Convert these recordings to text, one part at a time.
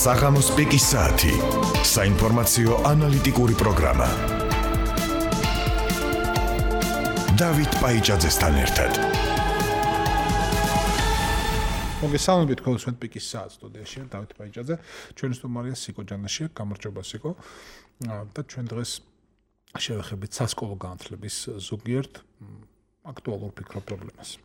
საღამოს პიკის საათი. საინფორმაციო ანალიტიკური პროგრამა. დავით პაიჭაძესთან ერთად. მოგესალმებით ხოლმე პიკის საათს სტუდიაში დავით პაიჭაძე. ჩვენი სტუმარია სიკო ჯანაშია, გამარჯობა სიკო. და ჩვენ დღეს შევეხებით სასკოლო განათლების ზოგიერთ აქტუალურ ფიქრობ პრობლემას.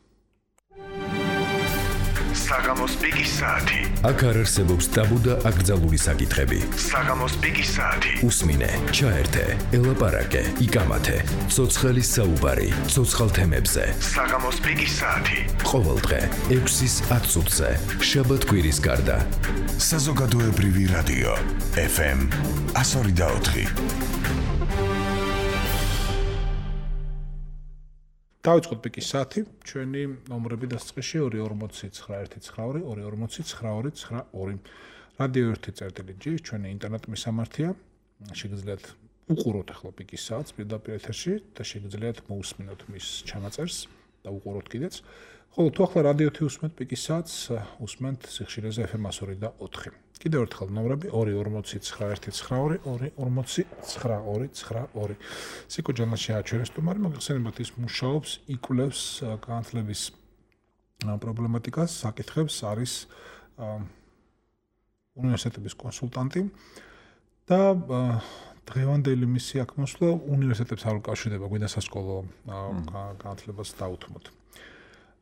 საღამოს პიკის საათი. აქ არ არსებობს ტაბუ და აკრძალული საკითხები. საღამოს პიკის საათი. უსმინე, ჩაერთე, ელაპარაკე, იკამათე. ცოცხალი საუბარი, ცოცხალ თემებზე. საღამოს პიკის საათი. ყოველდღე 6-ის 10 წუთზე, შაბათ-კვირის გარდა. საზოგადოებრივი რადიო FM 102.4. დავიწყოთ პიკის საათი. ჩვენი ნომრები დასწრებში 240 240 რადიო 1.2 ჩვენი ინტერნეტ მისამართია. შეგიძლიათ უყუროთ ახლა პიკის საათს პირდაპირ ეთერში და შეგიძლიათ მოусმინოთ მის ჩანაწერს და უყუროთ კიდეც. ხოლო თუ ახლა რადიო 1 უსმენთ პიკის საათს, უსმენთ სიხშირეზე FM 102.4. კიდევ ერთხელ ნომრები 240 240 სიკო ჯანაშია ჩვენი სტუმარი, მოგეხსენებათ ის მუშაობს, იკვლევს განათლების პრობლემატიკას, საკითხებს, არის უნივერსიტეტების კონსულტანტი და დღევანდელი მისი აქ მოსვლა უნივერსიტეტებს არ უკავშირდება, გვინდა სასკოლო განათლებას დაუთმოთ.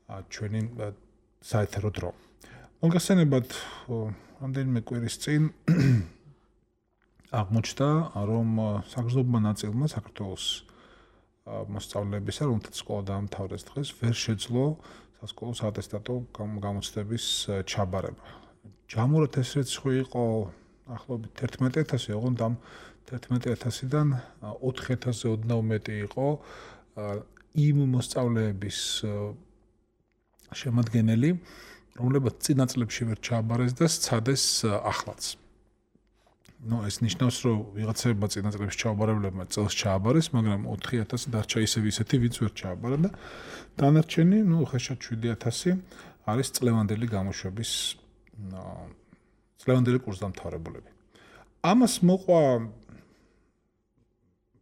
ჩვენი საეთერო დრო. მოგეხსენებათ რამდენიმე კვირის წინ აღმოჩნდა, რომ საგრძნობმა ნაწილმა საქართველოს მოსწავლეებისა, რომელთაც სკოლა დაამთავრეს დღეს, ვერ შეძლო სასკოლო საატესტატო გამოცდების ჩაბარება. ჯამურად ეს რიცხვი იყო ახლობით 11,000, ოღონდ ამ 11,000-დან 4,000-ზე ოდნავ მეტი იყო იმ მოსწავლეების შემადგენელი, რომლებიც წინა წლებში ვერ ჩააბარეს და სცადეს ახლაც. ეს ნიშნავს, რომ ვიღაცებმა წინა წლებში ჩააბარებლებმა წელს ჩააბარეს, მაგრამ 4,000 დარჩა ისეთი, ვინც ვერ ჩააბარა და დანარჩენი, ხეშად 7,000 არის წლევანდელი გამოშვების წლევანდელი კურსდამთავრებულები. ამას მოყვა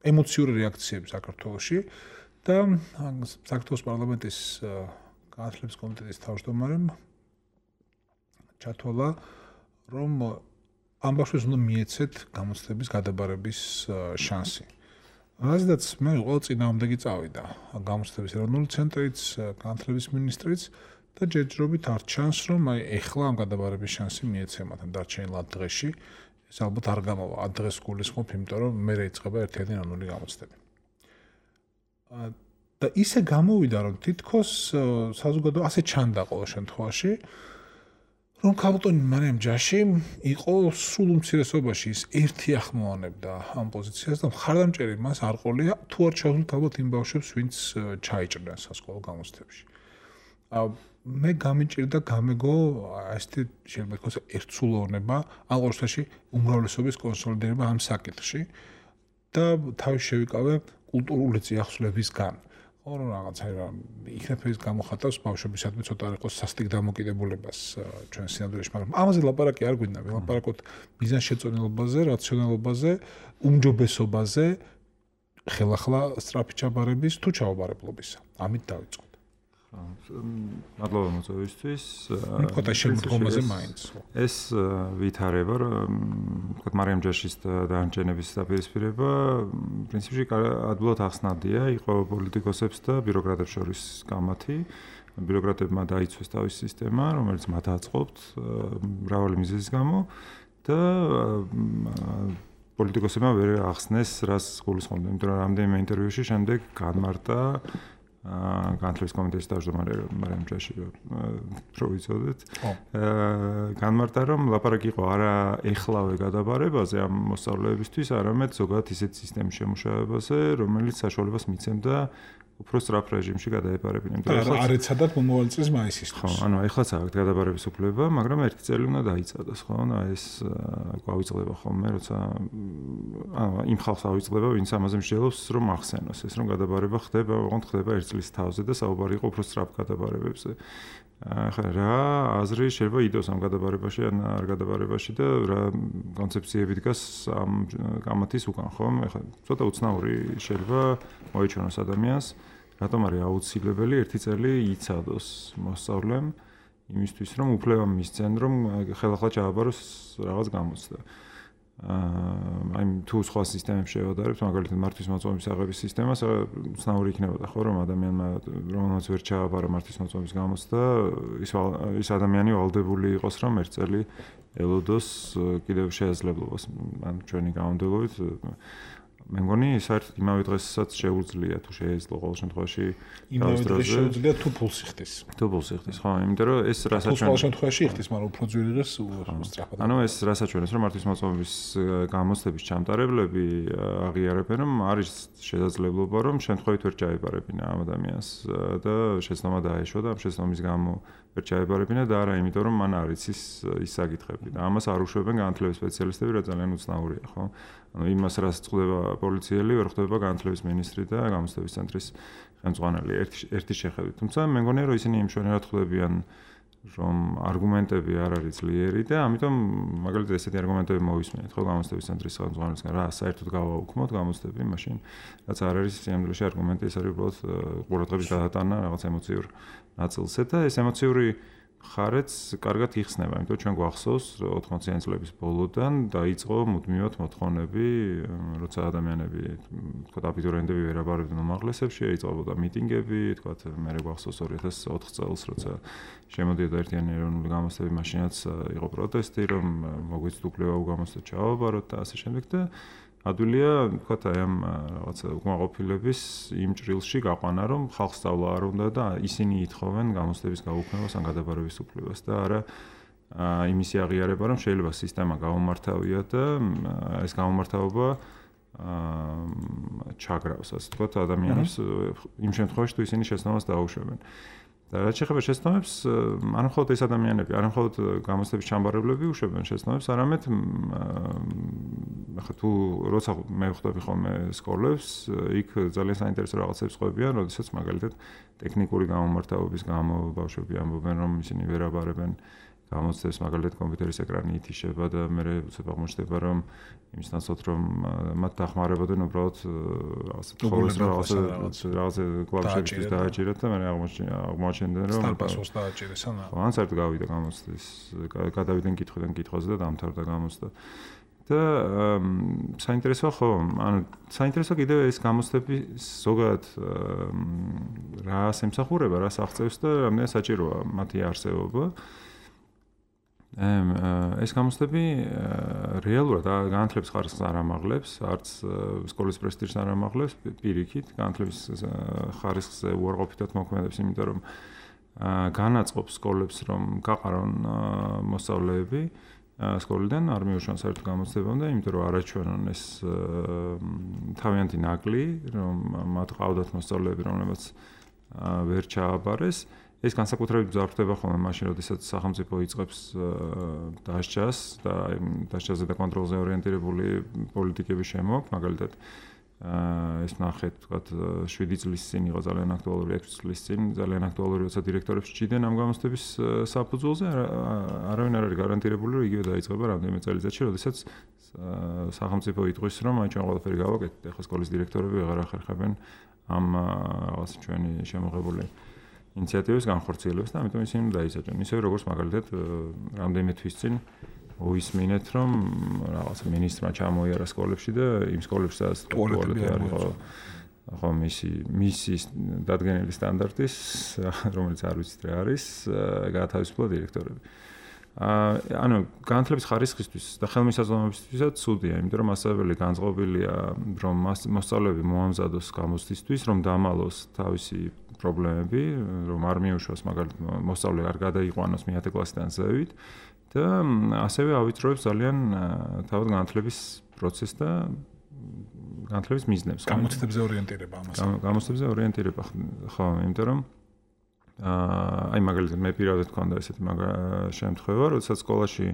ემოციური რეაქციები საქართველოში და საქართველოს პარლამენტის განათლების კომიტეტის თავმჯდომარემ ჩათვალა, რომ ამ ბავშვებს უნდა მიეცეთ გამოცდების გადაბარების შანსი. რაზედაც მე ყოველ წინააღმდეგი წავიდა გამოცდების ეროვნული ცენტრიც, განათლების მინისტრიც და ჯერჯერობით არ ჩანს, რომ ეხლა ამ გადაბარების შანსი მიეცემათ დარჩენილ დღეში. ეს ალბათ არ გამოვა ამ დღეს გულისხმობ, იმიტომ რომ მე რეიწყება ერთიანი ეროვნული გამოცდები. და ისე გამოვიდა, რომ თითქოს საზოგადო ასე ჩანდა ყოველ შემთხვევაში, რომ ქალბატონი მარიამ ჯაში იყო სულ უმცირესობაში ის ერთი ახმოვანებდა ამ პოზიციას და მხარდამჭერი მას არ ყოლია თუ არ ჩავსულთ ალბათ იმ ბავშვებს, ვინც ჩაიჭრნენ სასკოლო გამოცდებში. მე გამიჭირდა გამეგო ესეთი შეიძლება ითქვას ერთსულოვნება, ამ ყოველში უმრავლესობის კონსოლიდირება ამ საკითხში და თავის შევიკავე კულტურული წიაღსვლებისგან. ორი რაღაცა იქნებ ის გამოხატავს ბავშვებისადმი ცოტა არ იყოს სასტიკ დამოკიდებულებას ჩვენ სინამდვილეში, მაგრამ ამაზე ლაპარაკი არ გვინდა, ვილაპარაკოთ მიზანშეწონილობაზე, რაციონალობაზე, უმჯობესობაზე, ხელახლა სწრაფი ჩაბარების თუ ჩაუბარებლობისა. ამით დავიწყოთ. მადლობა მოწვევისთვის. ხოთა შემდგომაზე მაინც. ეს ვითარება, ვთქვათ, მარიამ ჯაშის დანარჩენების დაპირისპირება, პრინციპში ადვილად ახსნადია, იყო პოლიტიკოსებს და ბიუროკრატებს შორის კამათი. ბიუროკრატებმა დაიცვეს თავისი სისტემა, რომელიც მათ აწყობთ მრავალი მიზეზის გამო და პოლიტიკოსებმა ვერ ახსნეს, რას გულისხმობდნენ, იმიტომ რომ რამდენიმე ინტერვიუში შემდეგ განმარტა განათლების კომიტეტის თავმჯდომარე მარიამ ჯაში რო ვიცოდეთ. განმარტა, რომ ლაპარაკი იყო არა ეხლავე გადაბარებაზე ამ მოსწავლეებისთვის, არამედ ზოგადად ისეთ სისტემის შემუშავებაზე, რომელიც საშუალებას მიცემდა უფრო სწრაფ რეჟიმში გადაეპარებინა. არ ეცადათ მომავალი წლის მაისისთვის. ხო, ანუ ეხლაც აქვს გადაბარების უფლება, მაგრამ ერთი წელი უნდა დაიცადოს, ხო? ეს გვავიწყდება ხოლმე, როცა იმ ხალხს ავიწყდება, ვინც ამაზე მსჯელობს, რომ ახსენოს ეს, რომ გადაბარება ხდება, ოღონდ ხდება 1 წლის თავზე და საუბარი იყო უფრო სწრაფ გადაბარებებზე. ახლა რა აზრი შეიძლება იდოს ამ გადაბარებაში ან არ გადაბარებაში და რა კონცეფციები დგას ამ კამათის უკან, ხო? ახლა ცოტა უცნაური შეიძლება მოიჩვენოს ადამიანს, რატომ არის აუცილებელი ერთი წელი იცადოს მოსწავლემ იმისთვის, რომ უფლება მისცენ, რომ ხელახლა ჩააბაროს რაღაც გამოცდა. აი თუ სხვა სისტემებს შევადარებთ, მაგალითად მართვის მოწმობის აღების სისტემას, უცნაური იქნებოდა ხო, რომ ადამიანმა რომელმაც ვერ ჩააბარა მართვის მოწმობის გამოცდა, ის ადამიანი ვალდებული იყოს, რომ ერთ წელი ელოდოს კიდევ შესაძლებლობას, ან ჩვენი გამონდობებით მე მგონი საერთოდ იმავე დღესაც შეუძლია თუ შეეძლო ყოველ შემთხვევაში იმავე დღეს შეუძლია თუ ფულს იხდის. თუ ფულს იხდის, ხო, იმიტომ რომ ეს რასაც ყოველ შემთხვევაში იხდის, მაგრამ უფრო ძვირი დღეს სწრაფად. ანუ ეს რასაც ჩვენს რომ მართვის მოწმობის გამოცდების ჩამტარებლები აღიარებენ, რომ არის შესაძლებლობა, რომ შემთხვევით ვერ ჩაებარებინა ამ ადამიანს და შეცდომა დაეშვა და ამ შეცდომის გამო ვერ ჩაებარებინა და არა იმიტომ, რომ მან არ იცის ის საკითხები და ამას არ უშვებენ განათლების სპეციალისტები, რა ძალიან უცნაურია, ხო? ანუ იმას რაც წდება პოლიციელი, ვერ ხდება განათლების მინისტრი და გამოცდების ცენტრის ხელმძღვანელი ერთი შეხედვით. თუმცა მე მგონია, რომ ისინი იმშვენიერად ხვდებიან, რომ არგუმენტები არ არის ძლიერი და ამიტომ მაგალითად ესეთი არგუმენტები მოვისმენთ, ხო, გამოცდების ცენტრის ხელმძღვანელისგან, რა საერთოდ გავაუქმოთ გამოცდები, მაშინ რაც არ არის სიამოვნებაში არგუმენტი, ეს არის უბრალოდ ყურადღების გადატანა რაღაც ემოციურ ნაწილზე და ეს ემოციური ხარეც კარგად იხსნება, იმიტომ ჩვენ გვახსოვს 80-იან წლების ბოლოდან დაიწყო მუდმივად მოთხოვნები, როცა ადამიანები, თქვა აბიტურიენტები ვერ აბარებდნენ უმაღლესებში, იწყებოდა მიტინგები, თქვა მე გვახსოვს 2004 წელს, როცა შემოდიოდა ერთიანი ეროვნული გამოცდები, მაშინაც იყო პროტესტი, რომ მოგვიწევთ უფლება უგამოცდოთ ჩავაბაროთ და ასე შემდეგ და ადვილია, თქვა აი ამ რაღაცა უკმაყოფილების იმ ჭრილში გაყვანა, რომ ხალხს სწავლა არ უნდა და ისინი ითხოვენ გამოცდების გაუქმებას ან გადაბარების უფლებას და არა იმისი აღიარება, რომ შეიძლება სისტემა გაუმართავია და ეს გაუმართავობა ჩაგრავს, ასე ვთქვათ, ადამიანებს იმ შემთხვევაში, თუ ისინი შეცდომას დაუშვებენ. და რაც შეეხება შეცდომებს, არ მხოლოდ ეს ადამიანები, არ მხოლოდ გამოცდების ჩამბარებლები უშვებენ შეცდომებს, არამედ ახლა თუ როცა მე ვხვდები ხოლმე სკოლებს, იქ ძალიან საინტერესო რაღაცებს ყვებიან, როდესაც მაგალითად ტექნიკური გამომართავების გამო ბავშვები ამბობენ, რომ ისინი ვერ აბარებენ გამოცდებს, მაგალითად კომპიუტერის ეკრანი ითიშება და მე უცებ აღმოჩნდება, რომ იმის ნაცვლად რომ მათ დახმარებოდნენ უბრალოდ რაღაცა კლავიშებისთვის დააჭირათ და მე აღმოჩნდნენ რომ სტარპასოს დააჭირეს ანა. ან საერთოდ გავიდა გამოცდის, გადავიდნენ კითხვიდან კითხვაზე და დამთავრდა გამოცდა. და საინტერესოა ხო, ანუ საინტერესო კიდევ ეს გამოცდები ზოგადად რას ემსახურება, რას აღწევს და რამდენად საჭიროა მათი არსებობა. ეს გამოცდები რეალურად განათლების ხარისხს არ ამაღლებს, არც სკოლის პრესტიჟს არ ამაღლებს, პირიქით, განათლების ხარისხზე უარყოფითად მოქმედებს, იმიტომ რომ განაწყობს სკოლებს, რომ გაყარონ მოსწავლეები სკოლიდან, არ მიუშვან საერთო გამოცდებამ და იმიტომ რომ არაჩვენონ ეს თავიანთი ნაკლი, რომ მათ ყავდათ მოსწავლეები, რომლებიც ვერ ჩააბარეს. ეს განსაკუთრებით მძაფრდება ხოლმე მაშინ, როდესაც სახელმწიფო იწყებს დასჯას და დასჯაზე და კონტროლზე ორიენტირებული პოლიტიკების შემოქმ, მაგალითად ეს ნახეთ, ვთქვათ, 7 წლის წინ იყო ძალიან აქტუალური, 6 წლის წინ ძალიან აქტუალური, როცა დირექტორებს ჭდიდნენ ამ გამოცდების საფუძველზე, არავინ არ არის გარანტირებული, რომ იგივე დაიწყება რამდენიმე წელიწადში, როდესაც სახელმწიფო იტყვის, რომ აი ჩვენ ყველაფერი გავაკეთეთ, ახლა სკოლის დირექტორები აღარ ახერხებენ ამ რაღაც ჩვენი შემოღებული ინიციატივის განხორციელებას და ამიტომ ისინი დაიჭრნენ. ისე როგორც მაგალითად რამდენიმე თვის წინ მოისმინეთ, რომ რაღაც მინისტრმა ჩამოიარა სკოლებში და იმ სკოლებში სადაც ტუალეტები არის, ხო, მისი დადგენილი სტანდარტის, რომელიც არ ვიცით რა არის, გაათავისუფლა დირექტორები. ანუ განათლების ხარისხისთვის და ხელმისაწვდომობისთვისაც ცუდია, იმიტომ რომ მასწავლებელი განწყობილია, რომ მოსწავლეები მოამზადოს გამოცდისთვის, რომ დამალოს თავისი პრობლემები, რომ არ მიუშვას მაგალითად მოსწავლე არ გადაიყვანოს მე-10 კლასიდან ზევით და ასევე ავიწროებს ძალიან თავად განათლების პროცესს და განათლების მიზნებს. გამოცდებზე ორიენტირება ამას. გამოცდებზე ორიენტირება, ხო, იმიტომ რომ აი მაგალითად მე პირადად მქონდა ესეთი შემთხვევა, როდესაც სკოლაში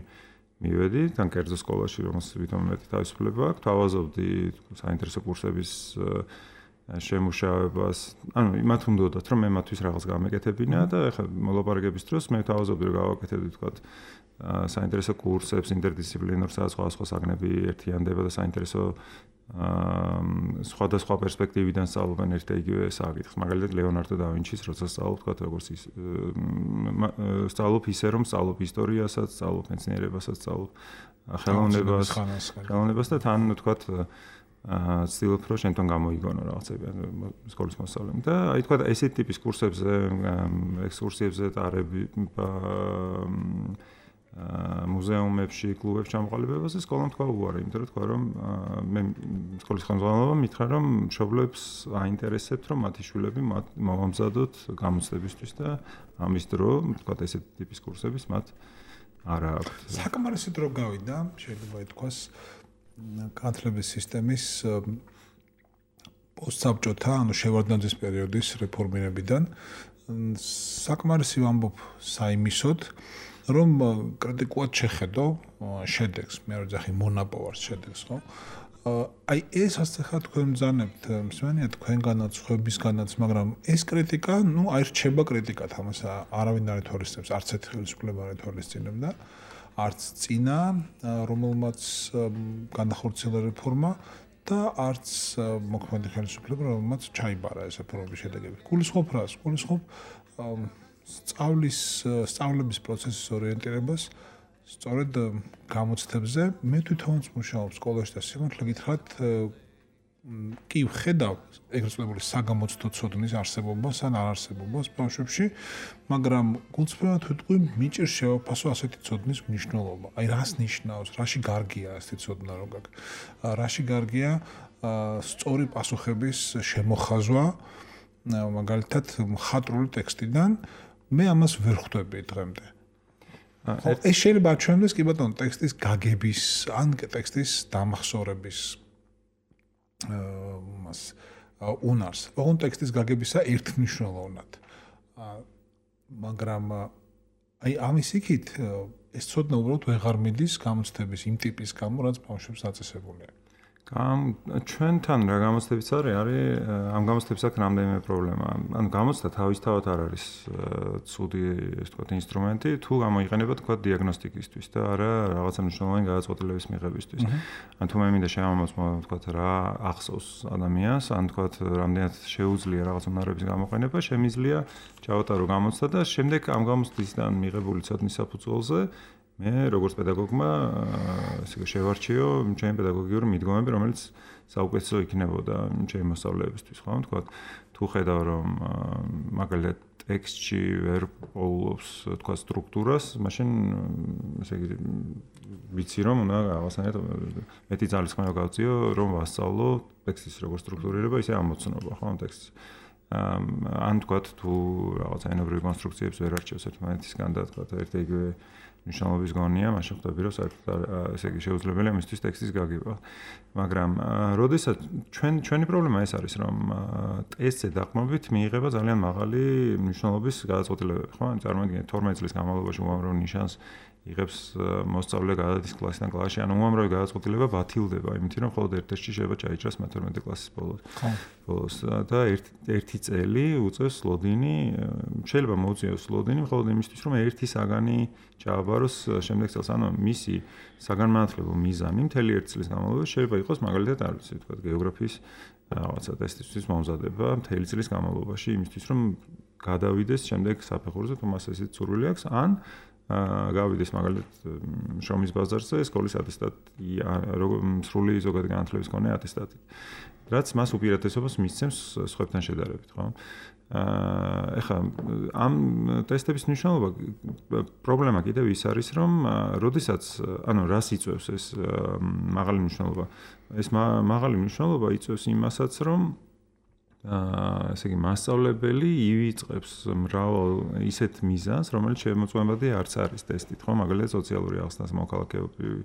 მივედი, თან კერძო სკოლაში, რომელსაც ვითომ მეტი თავისუფლება აქვს, თავაზობდი საინტერესო კურსების შემუშავებას, ანუ იმათ უნდათ რომ მე მათთვის რაღაც გამეკეთებინა და ეხლა მოლაპარაკების დროს მე თავაზობდი რომ გავაკეთებდი თქვათ საინტერესო კურსებს ინტერდისციპლინურ სხვადასხვა საგნები ერთიანდება და საინტერესო სხვადასხვა პერსპექტივიდან სწავლობენ ერთ და იგივე საკითხს. მაგალითად ლეონარდო და ვინჩის როცა სწავლობ თქვათ როგორც ის სწავლობ ისე რომ სწავლობ ისტორიასაც, სწავლობ მეცნიერებასაც, სწავლობ ხელოვნებას და თან თქვათ ცდილობ რომ შენთან გამოიგონო რაღაცები სკოლის მოსწავლემ და აი თქვა ესეთ ტიპის კურსებზე, ექსკურსიებზე ტარები მუზეუმებში, კლუბებში ჩამოყალიბებაზე სკოლამ თქვა უარი, იმიტომ რომ თქვა რომ მე სკოლის ხელმძღვანელობამ მითხრა რომ მშობლებს აინტერესებთ რომ მათი შვილები მოვამზადოთ გამოცდებისთვის და ამის დრო თქვა ესეთ ტიპის კურსების მათ არა აქვთ. საკმარისი დრო გავიდა, შეიძლება ითქვას განათლების სისტემის პოსტსაბჭოთა, ანუ შევარდნაძის პერიოდის რეფორმირებიდან საკმარისი ვამბობ საიმისოდ, რომ კრიტიკულად შეხედო შედეგს, მე რო ძახი მონაპოვარს შედეგს, ხო? აი ეს ასახა თქვენ მძანებთ, მსმენია თქვენგანაც, ხვებისგანაც, მაგრამ ეს კრიტიკა, ნუ აი რჩება კრიტიკად, ამას არავინ არ ეთვალისწინებს, არც ერთ ხელისუფლება არ ეთვალისწინებდა. არც წინა, რომელმაც განახორციელა რეფორმა და არც მოქმედი ხელისუფლება, რომელმაც ჩაიბარა ეს რეფორმების შედეგები. გულისხმობ რას? გულისხმობ სწავლების პროცესის ორიენტირებას სწორედ გამოცდებზე. მე თვითონაც მუშაობ სკოლაში და სიმართლე გითხრათ, კი ვხედავ ეგრეთ წოდებული საგამოცდო ცოდნის არსებობას ან არარსებობას ბავშვებში, მაგრამ გულწრფელად ვიტყვი, მიჭირს შევაფასო ასეთი ცოდნის მნიშვნელობა. აი რას ნიშნავს, რაში გარგია ასეთი ცოდნა რო გაქვს. რაში გარგია სწორი პასუხების შემოხაზვა, მაგალითად მხატვრული ტექსტიდან, მე ამას ვერ ხვდები დღემდე. ეს შეიძლება აჩვენოს კი ბატონო ტექსტის გაგების ან ტექსტის დამახსოვრების უნარს. ოღონდ ტექსტის გაგებისა ერთმნიშვნელოვნად. მაგრამ აი ამის იქით ეს ცოდნა უბრალოდ ვეღარ მიდის გამოცდების იმ ტიპის გამო, რაც ბავშვებს დაწესებულია. ჩვენთან რა გამოცდებიც არის ამ გამოცდების აქ რამდენიმე პრობლემა. ანუ გამოცდა თავისთავად არ არის ცუდი, ეს თქვა ინსტრუმენტი, თუ გამოიყენება თქვა დიაგნოსტიკისთვის და არა რაღაცა მნიშვნელოვანი გადაწყვეტილების მიღებისთვის. ან თუ მე მინდა შევამოწმო თქვა რა ახსოვს ადამიანს, ან თქვა რამდენად შეუძლია რაღაც უნარების გამოყენება, შემიძლია ჩავატარო გამოცდა და შემდეგ ამ გამოცდისგან მიღებული ცოდნის საფუძველზე მე როგორც პედაგოგმა ესე შევარჩიო ჩემი პედაგოგიური მიდგომები, რომელიც საუკეთესო იქნებოდა ჩემი მოსწავლეებისთვის, ხო? თქვა თუ ხედავ რომ მაგალითად ტექსტში ვერ პოულობს თქვა სტრუქტურას, მაშინ ესე იგი ვიცი რომ უნდა რაღაცნაირად მეტი ძალისხმევა გავწიო, რომ ვასწავლო ტექსტის როგორ სტრუქტურირება, ისე ამოცნობა, ხო, ტექსტს. ან თქვა თუ რაღაცა ენობრივი კონსტრუქციებს ვერ არჩევს ერთმანეთისგან და თქვა ერთ იგივე ნიშნულობის გონია, მაშინ ხვდები რომ საერთოდ ესე იგი შეუძლებელია მისთვის ტექსტის გაგება. მაგრამ როდესაც ჩვენი პრობლემა ეს არის, რომ ტესტზე დაყრდნობით მიიღება ძალიან მაღალი ნიშნულობის გადაწყვეტილებები, ხო? წარმოიდგინეთ 12 წლის განმავლობაში უამრავ ნიშანს იღებს მოსწავლე გადადის კლასიდან კლასში, ანუ უამრავი გადაწყვეტილება ბათილდება, იმით რომ მხოლოდ ერთ ტესტში შეიძლება ჩაიჭრას 12 კლასის ბოლოს და ერთი წელი უწევს ლოდინი, შეიძლება მოუწიოს ლოდინი მხოლოდ იმისთვის, რომ ერთი საგანი ჩააბაროს შემდეგ წელს, ანუ მისი საგანმანათლებლო მიზანი მთელი ერთ წლის განმავლობაში შეიძლება იყოს მაგალითად არ ვიცი, თქვა გეოგრაფიის რაღაცა ტესტისთვის მომზადება მთელი წლის განმავლობაში, იმისთვის რომ გადავიდეს შემდეგ საფეხურზე, თუ მას ესეც სურვილი აქვს, ან გავიდეს მაგალითად შრომის ბაზარზე სკოლის ატესტატი, სრული ზოგადი განათლების მქონე ატესტატი, რაც მას უპირატესობას მისცემს სხვებთან შედარებით, ხო? ეხლა ამ ტესტების მნიშვნელობა პრობლემა კიდევ ის არის, რომ როდესაც, ანუ რას იწევს ეს მაღალი მნიშვნელობა? ეს მაღალი მნიშვნელობა იწევს იმასაც, რომ ესე იგი მასწავლებელი ივიწყებს მრავალ ისეთ მიზანს, რომელიც შემოწმებადი არც არის ტესტით, ხო? მაგალითად სოციალური აღსტას მოქალაქეობრივი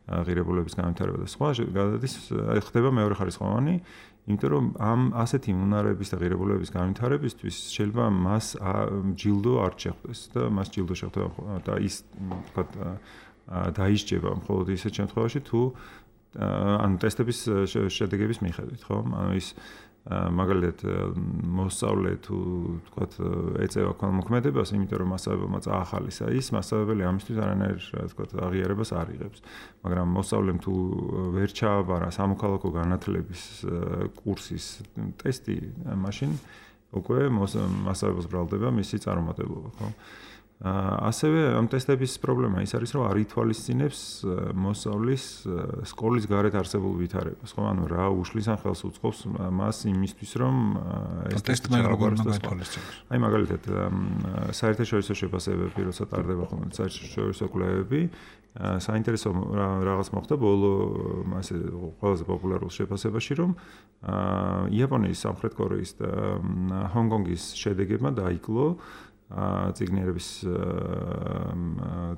ღირებულების განვითარება და სხვა გადადის ხდება მეორე ხარისხოვანი, იმიტომ რომ ამ ასეთი უნარების და ღირებულების განვითარებისთვის შეიძლება მას ჯილდო არ შეხვდეს და მას ჯილდო შეხვდება და ის თქვა დაისჯება მხოლოდ ისეთ შემთხვევაში თუ ანუ ტესტების შედეგების მიხედვით, ხო? ანუ ის მაგალითად მოსწავლე თუ თქვათ ეწევა ქველმოქმედებას, იმიტომ რომ მასწავლებელმა წაახალისა ის მასწავლებელი ამისთვის არანაირ თქვათ აღიარებას არ იღებს. მაგრამ მოსწავლემ თუ ვერ ჩააბარა სამოქალაქო განათლების კურსის ტესტი, მაშინ უკვე მასწავლებელს ბრალდება მისი წარუმატებლობა, ხო? ასევე ამ ტესტების პრობლემა ის არის, რომ არ ითვალისწინებს მოსწავლის სკოლის გარეთ არსებულ ვითარებას, ხო? ანუ რა უშლის ან ხელს უწყობს მას იმისთვის, რომ ეს ტესტი როგორ მოითვალისწინოს. აი მაგალითად, საერთაშორისო შეფასებები, როცა ტარდება ხოლმე საერთაშორისო კვლევები, საინტერესო რაღაც მოხდა ბოლო ასე ყველაზე პოპულარულ შეფასებაში, რომ იაპონიის, სამხრეთ კორეის და ჰონგ-კონგის შედეგებმა დაიკლო ციგნიერების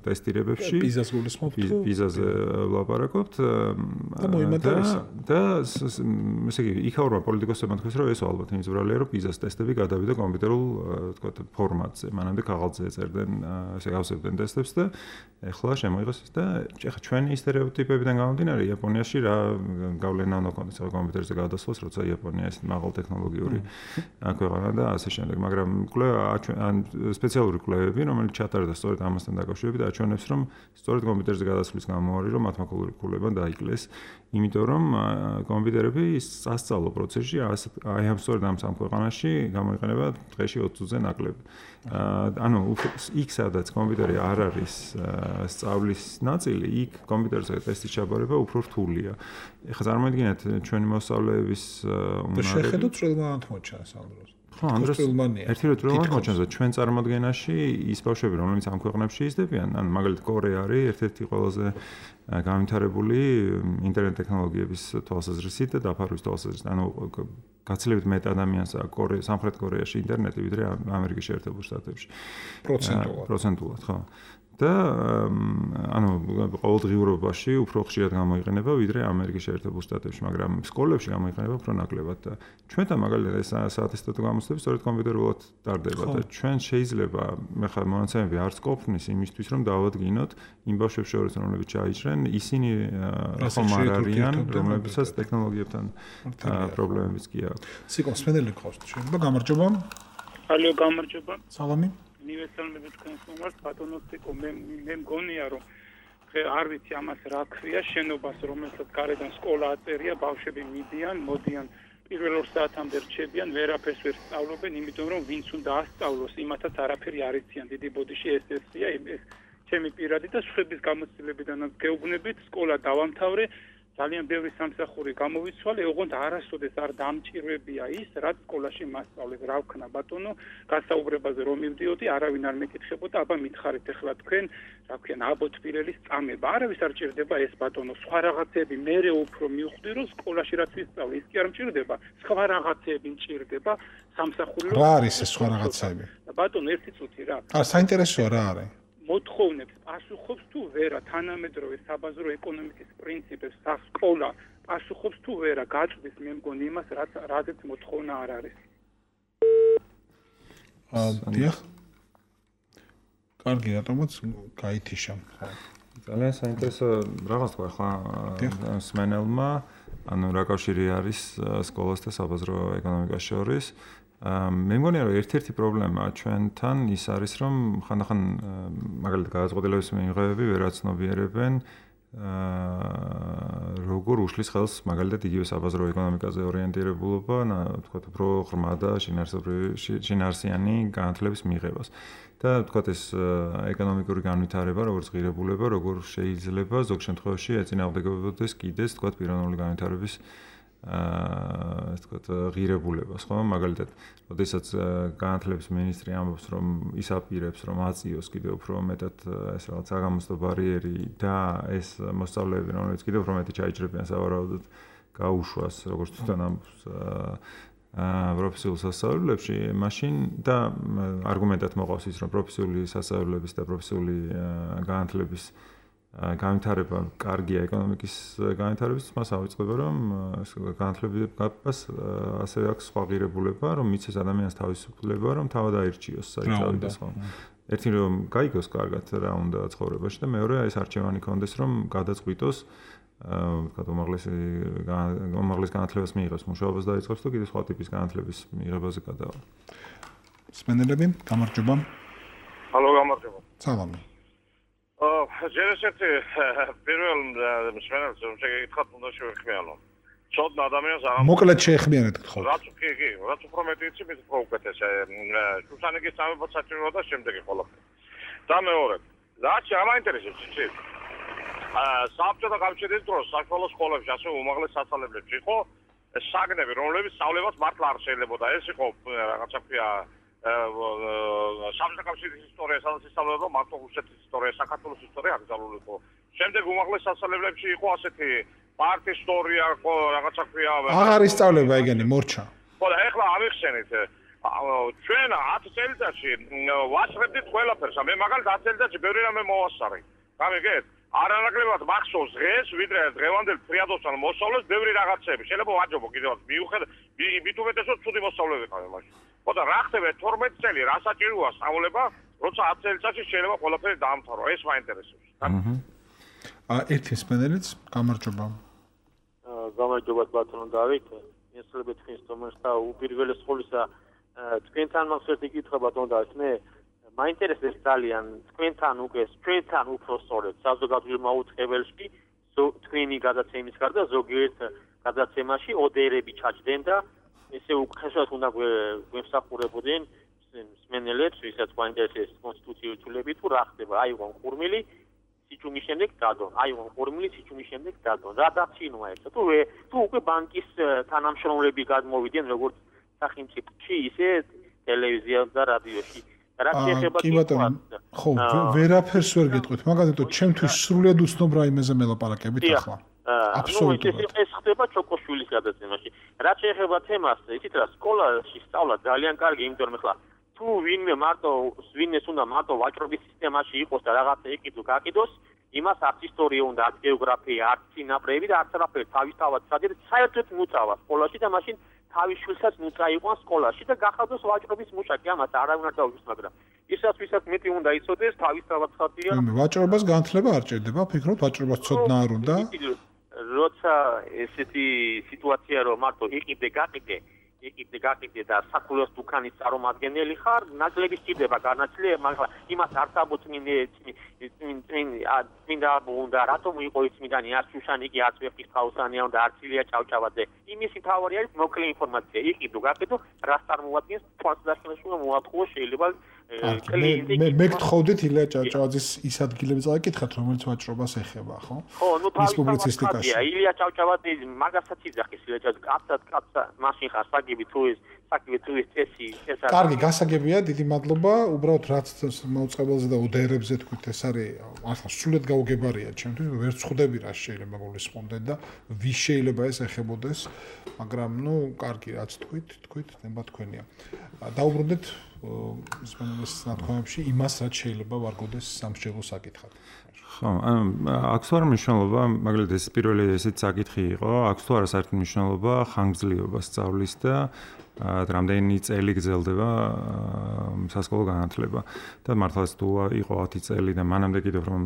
ტესტირებებში პიზას გულისხმობთ პიზაზე ვლაპარაკობთ და მოიმატებისა და ესე იგი იქაურმა პოლიტიკოსებმა თქვეს რომ ეს ალბათ იმძვრალია რომ პიზას ტესტები გადავიდა კომპიუტერულ თქვათ ფორმატზე მანამდე ქაღალდზე ეწერდნენ ესე გავსებდნენ ტესტებს და ეხლა შემოიღეს და ეხლა ჩვენი სტერეოტიპებიდან გამომდინარე იაპონიაში რა გავლენა უნდა ქონდეს კომპიუტერზე გადასვლას როცა იაპონია ეს მაღალ ტექნოლოგიური ქვეყანა და ასე შემდეგ მაგრამ კვლევა სპეციალური კვლევები, რომელიც ჩატარდა სწორედ ამასთან დაკავშირებით, აჩვენებს, რომ სწორედ კომპიუტერზე გადასვლის გამო არის, რომ მათემატიკურებმა დაიკლეს, იმიტომ რომ კომპიუტერები სასწავლო პროცესში აი ამ სწორედ ამ სამ ქვეყანაში გამოიყენება დღეში 20-ზე ნაკლები. ანუ იქ სადაც კომპიუტერი არ არის სწავლის ნაწილი, იქ კომპიუტერზე ტესტის ჩაბარება უფრო რთულია. ეხლა წარმოიდგინეთ ჩვენი მოსწავლეების უნდა შეხედოთ წვრილმანად მოჩანს ამ დროს. ხო, ერთი რო წვრილმანად მოჩანს და ჩვენ წარმოადგენაში ის ბავშვები, რომლებიც ამ ქვეყნებში იზრდებიან, ან მაგალითად კორეა არის ერთ-ერთი ყველაზე განვითარებული ინტერნეტ ტექნოლოგიების თვალსაზრისით და დაფარვის თვალსაზრისით. ანუ გაცილებით მეტ ადამიანს აქვს სამხრეთ კორეაში ინტერნეტი, ვიდრე ამერიკის შეერთებულ შტატებში. პროცენტულად, ხო. და ანუ ყოველდღიურობაში უფრო ხშირად გამოიყენება ვიდრე ამერიკის შეერთებულ შტატებში, მაგრამ სკოლებში გამოიყენება უფრო ნაკლებად და ჩვენთან მაგალითად ეს საათისტატო გამოცდები სწორედ კომპიუტერულად ტარდება და ჩვენ შეიძლება ხა მონაცემები არც ყოფნის იმისთვის რომ დავადგინოთ იმ ბავშვებს შორის რომლებიც ჩაიჭრენ ისინი ხომ არ არიან რომლებსაც ტექნოლოგიებთან პრობლემებიც კი აქვს. სიკო სპენდელი ყავს შეიძლება გამარჯობა. ალო გამარჯობა. სალამი. უნივერსალები თქვენს მომართ ბატონოსიკო მე მგონია რომ არ ვიცი ამას რა ქვია შენობას რომელსაც გარედან სკოლა აწერია ბავშვები მიდიან მოდიან პირველ 2 საათამდე რჩებიან ვერაფერს ვერ სწავლობენ იმიტომ რომ ვინც უნდა ასწავლოს იმათაც არაფერი არ იციან დიდი ბოდიში ესეა ეს ჩემი პირადი და სხვების გამოცდილებიდანაც გეუბნებით სკოლა დავამთავრე ძალიან ბევრი სამსახური გამოვიცვალე, ოღონდ არასოდეს არ დამჭირვებია ის, რაც სკოლაში მასწავლეს, რა ვქნა ბატონო, გასაუბრებაზე რომ მივდიოდი, არავინ არ მეკითხებოდა, აბა მითხარით ახლა თქვენ, რა ვქენ, აბოთბილელის წამება, არავის არ ჭირდება ეს ბატონო, სხვა რაღაცები მერე უფრო მივხვდი, რომ სკოლაში რაც ვისწავლე, ის კი არ მჭირდება, სხვა რაღაცები მჭირდება, სამსახური რა არის ეს სხვა რაღაცები? ბატონო, ერთი წუთი რა. საინტერესოა რა არის? მოთხოვნებს პასუხობს თუ ვერა თანამედროვე საბაზრო ეკონომიკის პრინციპებს სასკოლა პასუხობს თუ ვერა გაწვდის მე მგონი იმას რაზეც მოთხოვნა არ არის. დიახ. კარგი, რატომაც გაითიშა. ძალიან საინტერესო რაღაც თქვა ხა სმენელმა, ანუ რა კავშირი არის სკოლას და საბაზრო ეკონომიკას შორის. მე მგონია რომ ერთ-ერთი პრობლემა ჩვენთან ის არის რომ ხანდახან მაგალითად გადაწყვეტილების მიღებები ვერ აცნობიერებენ როგორ უშლის ხელს მაგალითად იგივე საბაზრო ეკონომიკაზე ორიენტირებულობა, თქვათ უფრო ღრმა და შინაარსიანი განათლების მიღებას. და თქვათ ეს ეკონომიკური განვითარება, როგორც ღირებულება, როგორ შეიძლება ზოგ შემთხვევაში ეწინააღმდეგებოდეს კიდეც თქვათ პიროვნული განვითარების ეს თქვათ ღირებულებას, ხო? მაგალითად, როდესაც განათლების მინისტრი ამბობს, რომ ის აპირებს, რომ აწიოს კიდევ უფრო მეტად ეს რაღაც საგამოცდო ბარიერი და ეს მოსწავლეები, რომლებიც კიდევ უფრო მეტი ჩაიჭრებიან სავარაუდოდ გაუშვას, როგორც თვითონ ამბობს პროფესიულ სასწავლებლებში, მაშინ და არგუმენტად მოყავს ის, რომ პროფესიული სასწავლებლების და პროფესიული განათლების განვითარება კარგია ეკონომიკის განვითარების მას ავიწყდება რომ განათლებას ასევე აქვს სხვა ღირებულება რომ მიცეს ადამიანს თავისუფლება რომ თავად აირჩიოს საერთოდ ხო ერთი რომ გაიგოს კარგად რა უნდა ცხოვრებაში და მეორე ეს არჩევანი კონდეს რომ გადაწყვიტოს ვთქვათ, უმაღლეს განათლებას მიიღებს, მუშაობას დაიწყებს და კიდევ სხვა ტიპის განათლების მიღებაზე გადავა. სმენელები, გამარჯობა. Hallo, გამარჯობა. სალამი. ჯერ ესეთი პირველ მსმენელს შეგეკითხათ უნდა შევეხმიანო. ცოტა ადამიანს აღარ მოკლედ შეეხმიანეთ გთხოვთ. რაც უფრო მეტი იცი, მით უფრო უკეთესია. შუშანიკის სამეფო საჭიროა და შემდეგი ყველაფერი. და მეორე, რაც ამაინტერესებს იცით? საბჭოთა კავშირის დროს საშუალო სკოლებში, ასე უმაღლეს სასწავლებლებში იყო საგნები, რომლებიც სწავლებაც მართლა არ შეიძლებოდა. ეს იყო რაღაცა ქვია საბჭოთა კავშირის ისტორია, სადაც ისწავლებოდა მართლა რუსეთის ისტორია, საქართველოს ისტორია აკრძალული იყო. შემდეგ უმაღლეს სასწავლებლებში იყო ასეთი პარტიის ისტორია, რაღაცა ქვია. აღარ ისწავლება ეგენი მორჩა. ხო და ეხლა ამიხსენით ჩვენ 10 წელიწადში ვასწრებდით ყველაფერს. მე მაგალითად 10 წელიწადში ბევრი რამე მოვასწარე. გამიგეთ? არანაკლებად მახსოვს დღეს, ვიდრე დღევანდელ ფრიადოსთან მოსწავლეს ბევრი რაღაცები. შეიძლება ვაჯობო კიდევაც მიუხედავად მით უმეტესად ცუდი მოსწავლე ვიყავი მაშინ. ხო და რა ხდება 12 წელი რა საჭიროა სწავლება, როცა 10 წელიწადში შეიძლება ყველაფერი დაამთავრო. ეს მაინტერესებს. ერთი სპენელიც, გამარჯობა. გამარჯობა ბატონო დავით. ესწრებით თქვენს თომას და უპირველეს ყოვლისა თქვენთან მაქვს კითხვა ბატონო დავით. მე მაინტერესებს ძალიან თქვენთან უკვე ჩვენთან უფრო სწორედ საზოგადოებრივ მაუწყებელში თქვენი გადაცემის გარდა ზოგიერთ გადაცემაში ოდერები ჩაჯდნენ და ესე უკეთესად უნდა გვემსახურებოდნენ მსმენელებს, ვისაც გვაინტერესებს კონსტიტუციური ცვლილები თუ რა ხდება. აიღო ხურმილი სიჩუმის შემდეგ დადო. აიღო ხურმილი სიჩუმის შემდეგ დადო. რა დაცინვა ეს? თუ უკვე ბანკის თანამშრომლები გადმოვიდნენ როგორც სახელმწიფოში, ისე ტელევიზიაში და რადიოში. კი ბატონო, ხო, ვერაფერს ვერ გეტყვით, მაგალითად, ჩემთვის სრულად უცნობ რაიმეზე მელაპარაკებით ახლა. აბსოლუტურად. ეს ხდება ჩოკოშვილის გადაცემაში. რაც შეეხება თემას, იცით რა, სკოლაში სწავლა ძალიან კარგი, იმიტომ რომ ახლა თუ ვინმეს უნდა მარტო ვაჭრობის სისტემაში იყოს და რაღაცა ეკიდო, გაკიდოს, იმას არც ისტორია უნდა, არც გეოგრაფია, არც წინაპრები და არც არაფერი თავისთავად სადიერ საერთოდ მუწავა სკოლაში და მაშინ თავის შვილსაც მუწაიყვან სკოლაში და გახადოს ვაჭრობის მუშაკი, ამას არავინ არ დაუშვს, მაგრამ ისაც ვისაც მეტი უნდა იცოდეს, თავისთავად ხათია. ვაჭრობას განათლება არ ჭირდება, ფიქრობ ვაჭრობას ცოდნა არ უნდა? როცა ესეთი სიტუაცია რომ მარტო იყიდე გაკიდე და საკულოს დუქანის წარმომადგენელი ხარ, ნაკლები სჭირდება განათლება, მაგრამ იმას არ საბოწმინე წმინდა უნდა რატომ იყო წმინდანი არც შუშანიკი, არც ვეფხისტყაოსანია და არც ილია ჭავჭავაძე. იმისი თავარი არის მოკლე ინფორმაცია. იყიდო გაკიდო, რას წარმოადგენს თვალსაჩინოში მოაწყო შეიძლება მე გთხოვდით ილია ჭავჭავაძის ის ადგილები წავიკითხოთ, რომელიც ვაჭრობას ეხება, ხო? ხო, ნუ თავისთავად ილია ჭავჭავაძე მაგასაც იძახის ილია ჭავჭავაძე, კაცსა მაშინ ხარ საგები თუ ეს წესი ეს არის. კარგი, გასაგებია, დიდი მადლობა. უბრალოდ რაც მაუწყებელზე და ოდერებზე თქვით, ეს არის ახლა სრულად გაუგებარია ჩემთვის, ვერ ვხვდები რა შეიძლება გულისხმობდეთ და ვის შეიძლება ეს ეხებოდეს, მაგრამ ნუ კარგი, რაც თქვით, ნება თქვენია. დაუბრუნდეთ სპენელის ნათქვამებში იმას, რაც შეიძლება ვარგოდეს სამშობლო საკითხად. ხო, აქვს თუ არა მნიშვნელობა, მაგალითად ეს პირველი ესეც საკითხი იყო, აქვს თუ არა საერთოდ მნიშვნელობა ხანგრძლივობა სწავლის და რამდენი წელი გრძელდება სასკოლო განათლება. და მართლაც თუ იყო 10 წელი და მანამდე კიდევ რომ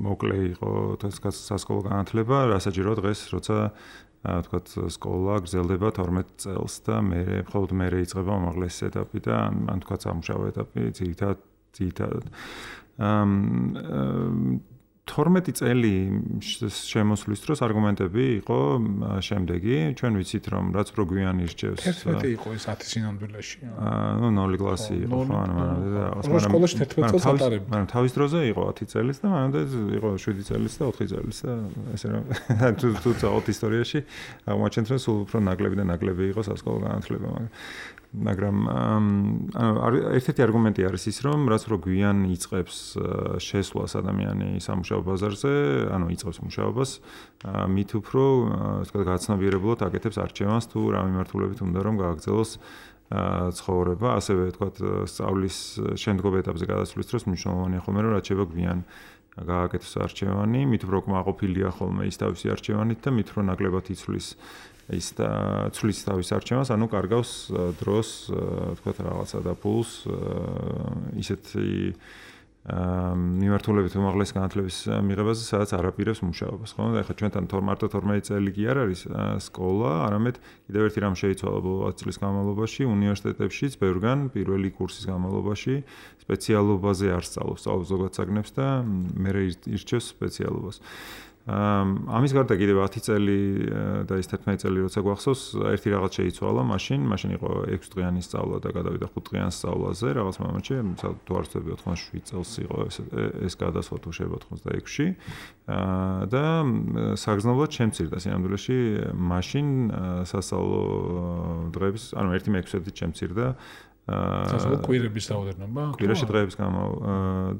მოკლე იყო სასკოლო განათლება, რასაჭირო დღეს, როცა თქვათ სკოლა გრძელდება 12 წელს და მხოლოდ მე იწყება უმაღლესი ეტაპი და ან თქვათ სამუშაო ეტაპი ძირითადად 12 წელი შემოსვლის დროს არგუმენტები იყო შემდეგი. ჩვენ ვიცით რომ რაც უფრო გვიან ირჩევს 11 იყო ეს 10 სინამდვილეში. ნუ 0 კლასი იყო ხო ანუ მანამდე სკოლაში 11 წელს ატარებ. მაგრამ თავის დროზე იყო 10 წელიც და მანამდე იყო 7 წელიც და 4 წელიც და ესე რომ თუ წავთ ისტორიაში აღმოჩნდეთ რომ სულ უფრო ნაკლები და ნაკლები იყო სასკოლო განათლება მაგრამ ერთ-ერთი არგუმენტი არის ის რომ რაც უფრო გვიან იწყებს შესვლას ადამიანი სამუშაო ბაზარზე, ანუ იწყებს მუშაობას, მით უფრო თქვა გაცნობიერებლად აკეთებს არჩევანს თუ რა მიმართულებით უნდა რომ გააგრძელოს ცხოვრება, ასევე თქვა სწავლის შემდგომ ეტაპზე გადასვლის დროს მნიშვნელოვანია ხოლმე რომ რაც შეიძლება გვიან გააკეთოს არჩევანი, მით უფრო კმაყოფილია ხოლმე ის თავისი არჩევანით და მით უფრო ნაკლებად იცვლის ის და ცვლის თავის არჩევანს, ანუ კარგავს დროს, თქვა რაღაცა და ფულს ისეთი მიმართულებით უმაღლესი განათლების მიღებაზე, სადაც არ აპირებს მუშაობას, ხო? და ეხლა ჩვენთან მარტო 12 წელი კი არ არის სკოლა, არამედ კიდევ ერთი რამ შეიცვალა ბოლო 10 წლის განმავლობაში უნივერსიტეტებშიც ბევრგან პირველი კურსის განმავლობაში სპეციალობაზე არ სწავლობს ზოგად საგნებს და მე ირჩევს სპეციალობას. ამის გარდა კიდევ 10 წელი და ის 11 წელი როცა გვახსოვს, ერთი რაღაც შეიცვალა, მაშინ იყო 6 დღიანი სწავლა და გადავიდა 5 დღიან სწავლაზე, რაღაც მომენტში, თუ არ ვცდები 87 წელს იყო ეს გადასვლა თუ შეიძლება 86-ში. და საგრძნობლად შემცირდა სინამდვილეში მაშინ სასწავლო დღეების, ანუ 1/6-ით შემცირდა სასწავლო კვირების რაოდენობა? კვირაში დღეების გამო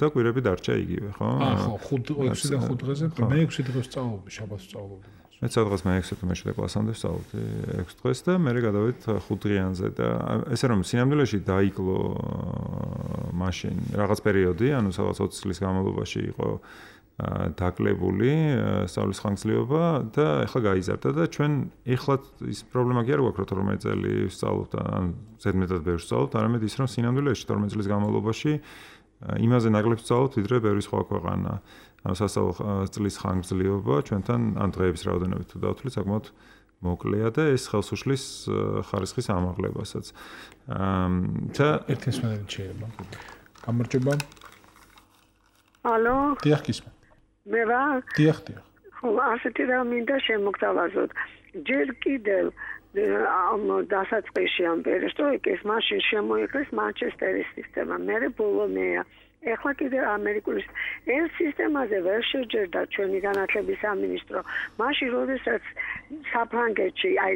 და კვირები დარჩა იგივე, ხო? ხო, 6-დან 5 დღეზე, მე 6 დღეს სწავლობდი, შაბათს სწავლობდი. მე სადღაც მე 6 მე-7 კლასამდე სწავლობდი 6 დღეს და მე გადავედი 5 დღიანზე და ესე რომ სინამდვილეში დაიკლო მაშინ რაღაც პერიოდი, ანუ სადღაც 20 წლის განმავლობაში იყო დაკლებული სწავლის ხანგრძლივობა და ეხლა გაიზარდა და ჩვენ ეხლა ის პრობლემა კი არ გვაქვს რომ 12 წელი ვსწავლობთ ან ზედმეტად ბევრს ვსწავლობთ, არამედ ის რომ სინამდვილეში 12 წლის განმავლობაში იმაზე ნაკლებს ვსწავლობთ, ვიდრე ბევრი სხვა ქვეყანა. ანუ სასწავლო წლის ხანგრძლივობა ჩვენთან ან დღეების რაოდენობით თუ დავთვლით, საკმაოდ მოკლეა და ეს ხელს უშლის ხარისხის ამაღლებასაც. და ერთი მსმენელი შეიძლება. გამარჯობა. ალო? დიახ, გისმენთ. მე რა? დიახ. ხო, ასეთი რა მინდა შემოგთავაზოთ. ჯერ კიდევ ამ დასაწყისში ამ პერესტროიკის მაშინ შემოიღეს მანჩესტერის სისტემა, მერე ბოლონია. ეხლა კიდევ ამერიკული ეს სისტემაზე ვერ შეჯერდა ჩვენი განათლების სამინისტრო. მაშინ როდესაც საფრანგეთში აი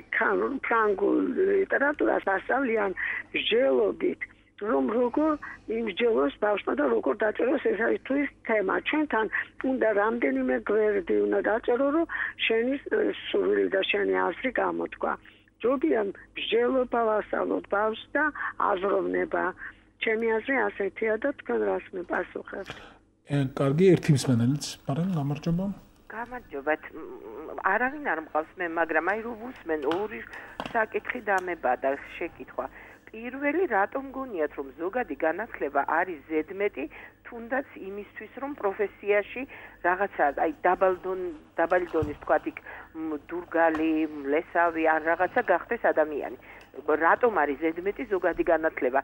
ფრანგულ ლიტერატურას ასწავლიან მსჯელობით, რომ როგორ იმსჯელოს ბავშვმა და როგორ დაწეროს ეს არის თუ ის თემა. ჩვენთან უნდა რამდენიმე გვერდი უნდა დაწერო, რომ შენი სურვილი და შენი აზრი გამოთქვა. ჯობია მსჯელობა ვასწავლოთ ბავშვს და აზროვნება. ჩემი აზრი ასეთია და თქვენ რას მიპასუხებთ? კარგი, ერთი მსმენელიც, მაგრამ გამარჯობა. გამარჯობა. არავინ არ მყავს მე, მაგრამ აი რო ვუსმენ ორი საკითხი დამება და შეკითხვა. პირველი რატომ გონიათ რომ ზოგადი განათლება არის ზედმეტი თუნდაც იმისთვის რომ პროფესიაში რაღაცა აი დაბალი დონის თქვათ იქ დურგალი, მლესავი ან რაღაცა გახდეს ადამიანი. რატომ არის ზედმეტი ზოგადი განათლება?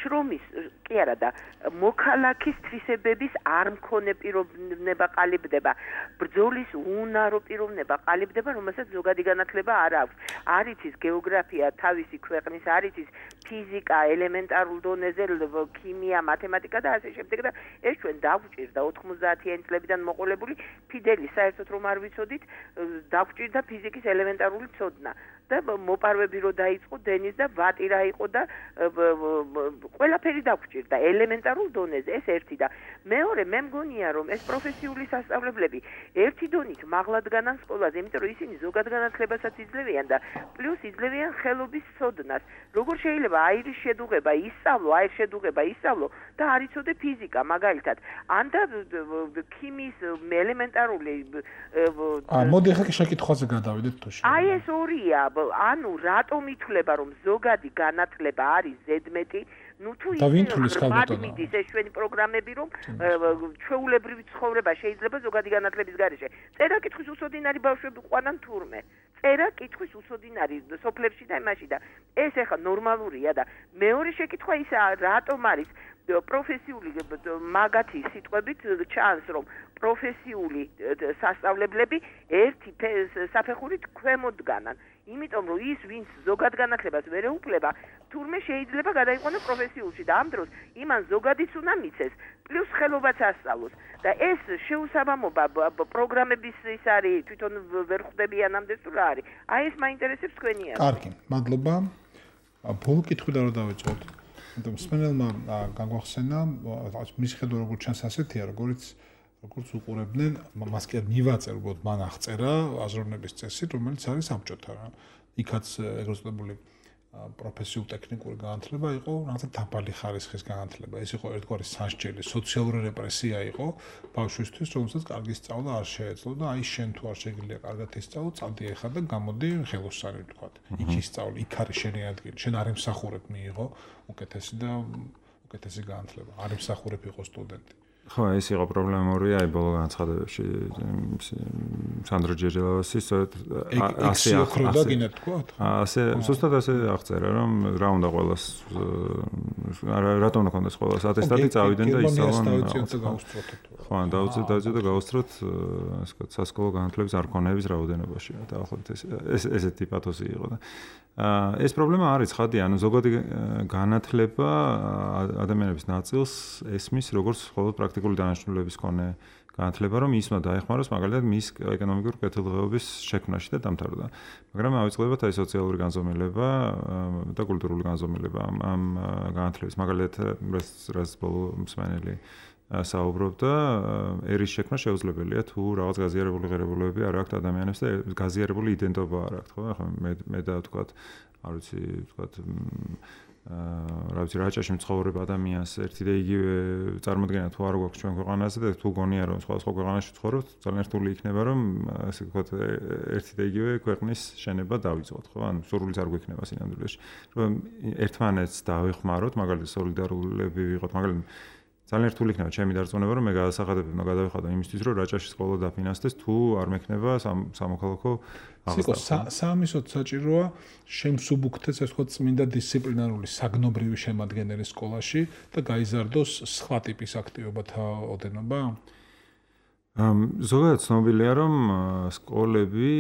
შრომის კი არა და მოქალაქის თვისებების არ მქონე პიროვნება ყალიბდება. ბრძოლის უნარო პიროვნება ყალიბდება, რომელსაც ზოგადი განათლება არ აქვს. არ იცის გეოგრაფია თავისი ქვეყნის, არ იცის ფიზიკა, ელემენტარულ დონეზე, ქიმია, მათემატიკა და ასე შემდეგ და ეს ჩვენ დაგვჭირდა 90-იანი წლებიდან მოყოლებული ფიდელი, საერთოდ რომ არ ვიცოდით, დაგვჭირდა ფიზიკის ელემენტარული ცოდნა. და მოპარვები რო დაიწყო დენის და ვატი რა იყო და ყველაფერი დაგვჭირდა ელემენტარულ დონეზე, ეს ერთი და მეორე მე მგონია რომ ეს პროფესიული სასწავლებლები ერთი დონით მაღლად განან სკოლაზე, იმიტომ რომ ისინი ზოგად განათლებასაც იძლევიან და პლუს იძლევიან ხელობის ცოდნას. როგორ შეიძლება აირის შედუღება ისწავლო, აირის შედუღება ისწავლო და არ იცოდე ფიზიკა მაგალითად. ან და ქიმიის ელემენტარული მოდი ახლა შეკითხვაზე გადავიდეთ თუ შეიძლება. აი ეს ორია. ანუ რატომ ითვლება რომ ზოგადი განათლება არის ზედმეტი? ნუ თუ ის ეს ჩვენი პროგრამები რომ ჩვეულებრივი ცხოვრება შეიძლება ზოგადი განათლების გარეშე. წერა კითხვის უსოდინარი ბავშვები ყვანან თურმე. წერა კითხვის უსოდინარი სოფლებში და იმაში და ეს ახლა ნორმალურია და მეორე შეკითხვა ისაა რატომ არის პროფესიული მაგათი სიტყვებით ჩანს რომ პროფესიული სასწავლებლები ერთი საფეხურით ქვემოდგანან. იმიტომ რომ ის ვინც ზოგად განათლებას ვერ ეუფლება, თურმე შეიძლება გადაიყვანოს პროფესიულში და ამ დროს იმან ზოგადიც უნდა მიცეს, პლუს ხელობაც ასწავლოს. და ეს შეუსაბამობა პროგრამების ის არის, თვითონ ვერ ხვდებიან ამდე თუ რა არის. აი ეს მაინტერესებს თქვენი აზრი. კარგი, მადლობა. ბოლო კითხვი და რა დავიწყოთ? იმიტომ მსმენელმა გაგვახსენა, მის ხედვა როგორ ჩანს ასეთია, როგორც უყურებდნენ, მას კი არ მივაწერ, უბრალოდ მან აღწერა აზროვნების წესი, რომელიც არის საბჭოთა რა. იქაც ეგრეთ წოდებული პროფესიულ ტექნიკური განათლება იყო, რაღაცა დაბალი ხარისხის განათლება. ეს იყო ერთგვარი სასჯელი, სოციალური რეპრესია იყო ბავშვისთვის, რომელსაც კარგი სწავლა არ შეეძლო და აი შენ თუ არ შეგიძლია კარგად ისწავლო, წადი ახლა და გამოდი ხელოსანი ვთქვათ. იქ ისწავლე, იქ არის შენი ადგილი. შენ არ იმსახურებ მიიღო უკეთესი და უკეთესი განათლება. არ იმსახურებ იყო სტუდენტი. ხო, ეს იყო პრობლემური, აი ბოლო განცხადებებში სანდრო ჯეჯელავასის ასე ახროდა გინდა თქვა? ასე ზუსტად ასე აღწერა, რომ რა უნდა ყოველას რატომ უნდა ქონდეს ყოველას ატესტატი წავიდნენ და ისწავლონ. ხო, დაუწევთ და გაუსწროთ, ასე ვთქვათ, სასკოლო განათლების არქონების რაოდენობაში. დაახლოებით ესეთი პათოსი იყო და ეს პრობლემა არის ხადი, ანუ ზოგადი განათლება ადამიანების ნაწილს ესმის როგორც მხოლოდ პრაქტიკული დანაშაულების მქონე განათლება, რომ ის უნდა დაეხმაროს მაგალითად მის ეკონომიკური კეთილდღეობის შექმნაში და დამთავრდა. მაგრამ ავიწყდებათ აი სოციალური განზომილება და კულტურული განზომილება ამ განათლების. მაგალითად, რაც ბოლო მსმენელი საუბრობდა, ერის შექმნა შეუძლებელია თუ რაღაც გაზიარებული ღირებულებები არ აქვთ ადამიანებს და გაზიარებული იდენტობა არ აქვთ, ხო? ახლა მე და ვთქვათ, არ ვიცი, ვთქვათ, რა ვიცი, რაჭაში მცხოვრებ ადამიანს ერთი და იგივე წარმოდგენა თუ არ გვაქვს ჩვენ ქვეყანაზე და თუ გონია რომ სხვა ქვეყანაში ვცხოვრობთ, ძალიან რთული იქნება რომ ასე ვთქვათ, ერთი და იგივე ქვეყნის შენება დავიწყოთ, ხო? ანუ სურვილიც არ გვექნება სინამდვილეში. რომ ერთმანეთს დავეხმაროთ, მაგალითად სოლიდარულები ვიყოთ, მაგალითად ძალიან რთული იქნება ჩემი დარწმუნება რომ მე გადასახადები უნდა გადავიხადო იმისთვის რომ რაჭაში სკოლა დაფინანსდეს თუ არ მექნება სამოქალაქო აღზრდა. საამისოდ საჭიროა შემსუბუქდეს ასე ვთქვათ წმინდა დისციპლინარული საგნობრივი შემადგენელი სკოლაში და გაიზარდოს სხვა ტიპის აქტივობათა ოდენობა? ზოგადად ცნობილია რომ სკოლები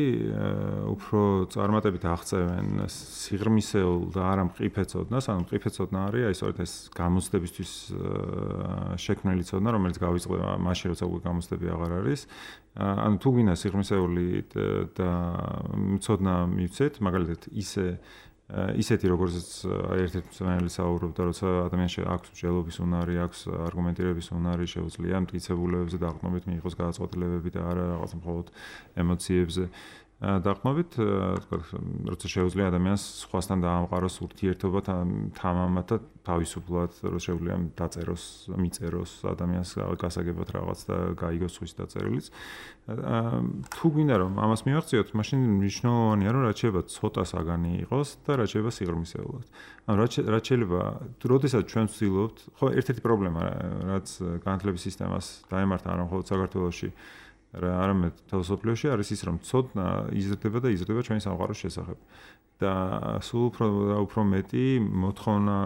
უფრო წარმატებით აღწევენ სიღრმისეულ და არა მყიფე ცოდნას, ანუ მყიფე ცოდნა არის აი სწორედ ეს გამოცდებისთვის შექმნილი ცოდნა, რომელიც გავიწყდება მაშინ როცა უკვე გამოცდები აღარ არის. ანუ თუ გინდა სიღრმისეული და ცოდნა მივცეთ, მაგალითად ისეთი როგორც ერთ-ერთი მსმენელი საუბრობდა, როცა ადამიანს აქვს მსჯელობის უნარი, აქვს არგუმენტირების უნარი, შეუძლია მტკიცებულებებზე დაყრდნობით მიიღოს გადაწყვეტილებები და არა რაღაც მხოლოდ ემოციებზე დაყრდნობით, თქვათ, როცა შეუძლია ადამიანს სხვასთან დაამყაროს ურთიერთობა თამამად და თავისუფლად, რომ შეუძლია დაწეროს, მიწეროს ადამიანს გასაგებად რაღაც და გაიგოს სხვის დაწერილიც. თუ გინდა რომ ამას მივახციოთ, მაშინ მნიშვნელოვანია რომ რაც შეიძლება ცოტა საგანი იყოს და რაც შეიძლება სიღრმისეულად. ანუ რაც შეიძლება, როდესაც ჩვენ ვცდილობთ, ხო, ერთ-ერთი პრობლემა, რაც განათლების სისტემას დაემართა არა მხოლოდ საქართველოში, არამედ მთელ მსოფლიოში არის ის, რომ ცოდნა იზრდება და იზრდება ჩვენი სამყაროს შესახებ. და სულ უფრო მეტი მოთხოვნა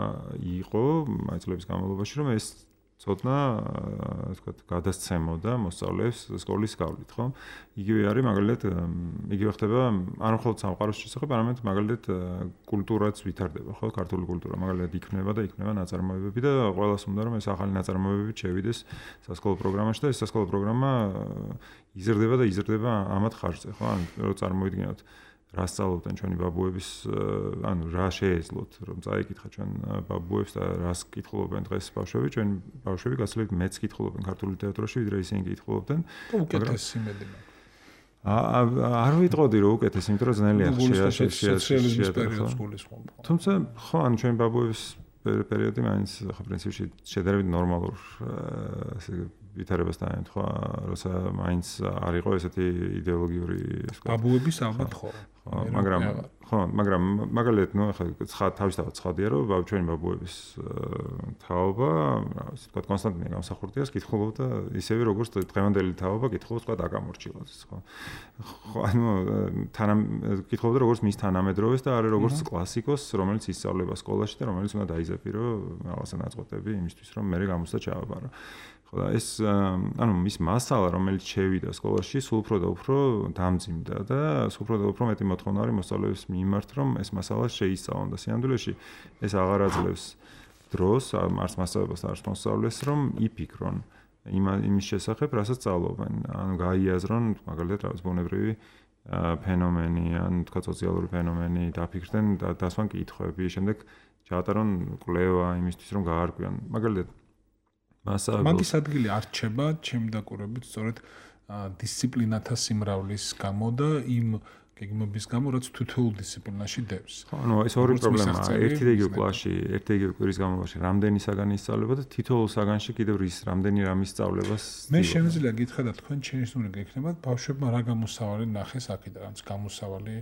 იყო აი წლების განმავლობაში, რომ ეს ცოდნა, ასე ვთქვათ, გადასცემოდა მოსწავლეებს სკოლის გავლით, ხო? იგივე არის მაგალითად, იგივე ხდება არ მხოლოდ სამყაროს შესახებ, არამედ მაგალითად კულტურაც ვითარდება, ხო? ქართული კულტურა მაგალითად იქნება და იქნება ნაწარმოებები და ყველას უნდა რომ ეს ახალი ნაწარმოებები შევიდეს სასკოლო პროგრამაში და ეს სასკოლო პროგრამა იზრდება და იზრდება ამათ ხარჯზე, ხო? ანუ რო წარმოვიდგინოთ რა სწავლობდნენ ჩვენი ბაბუების, ანუ რა შეეძლოთ, რომ წაიკითხა ჩვენ ბაბუებს და რას კითხულობენ დღეს ბავშვები, ჩვენ ბავშვები გასულებით მეც კითხულობენ ქართული ლიტერატურაში, ვიდრე ისინი კითხულობდნენ. უკეთესი იმედი მაქვს. არ ვიტყოდი რომ უკეთესი, იმიტომ რომ ძნელია სოციალიზმის პერიოდს გულისხმობ. თუმცა ხო, ანუ ჩვენი ბაბუების პერიოდი მაინც ხო პრინციპში შედარებით ნორმალურ ასე ვითარებას დაემთხვა, როცა მაინც არ იყო ესეთი იდეოლოგიური ბაბუების ალბათ ხო. მაგრამ მაგალითად, ნუ ახლა თავისთავად ცხადია, რომ ჩვენი ბაბუების თაობა, ასე ვთქვათ, კონსტანტინე გამსახურდიას კითხულობდა ისევე როგორც დღევანდელი თაობა კითხულობს თქვა აკამორჩილაძეს, ხო. ხო, ანუ კითხულობდა როგორც მის თანამედროვეს და არა როგორც კლასიკოს, რომელიც ისწავლება სკოლაში და რომელიც უნდა დაიზეპირო რაღაცა ნაწყვეტები იმისთვის, რომ მე გამოსდა ჩააბარო. ხო და ეს ანუ მის მასალა რომელიც შევიდა სკოლაში სულ უფრო და უფრო დამძიმდა და სულ უფრო და უფრო მეტი მოთხოვნა არის მოსწავლეების მიმართ რომ ეს მასალა შეისწავლონ და სინამდვილეში ეს აღარ აძლევს დროს არც მასწავლებელს არც მოსწავლეს რომ იფიქრონ იმის შესახებ რასაც სწავლობენ ანუ გაიაზრონ მაგალითად რაღაც ბუნებრივი ფენომენი ან თქვა სოციალური ფენომენი დაფიქრდნენ და დასვან კითხვები შემდეგ ჩაატარონ კვლევა იმისთვის რომ გაარკვიონ მაგალითად მაგის ადგილი არ რჩება ჩემი დაკვირვებით სწორედ დისციპლინათა სიმრავლის გამო და იმ გეგმების გამო რაც თითოეულ დისციპლინაში დევს. ანუ ეს ორი პრობლემაა. ერთი და იგივე კლასში, ერთი და იგივე კვირის განმავლობაში რამდენი საგანი ისწავლება და თითოეულ საგანში კიდევ რის რამდენი რამის სწავლებას. მე შემიძლია გითხრა და თქვენ შენიშნული გექნება ბავშვებმა რა გამოსავალი ნახეს აქედან, რაც გამოსავალი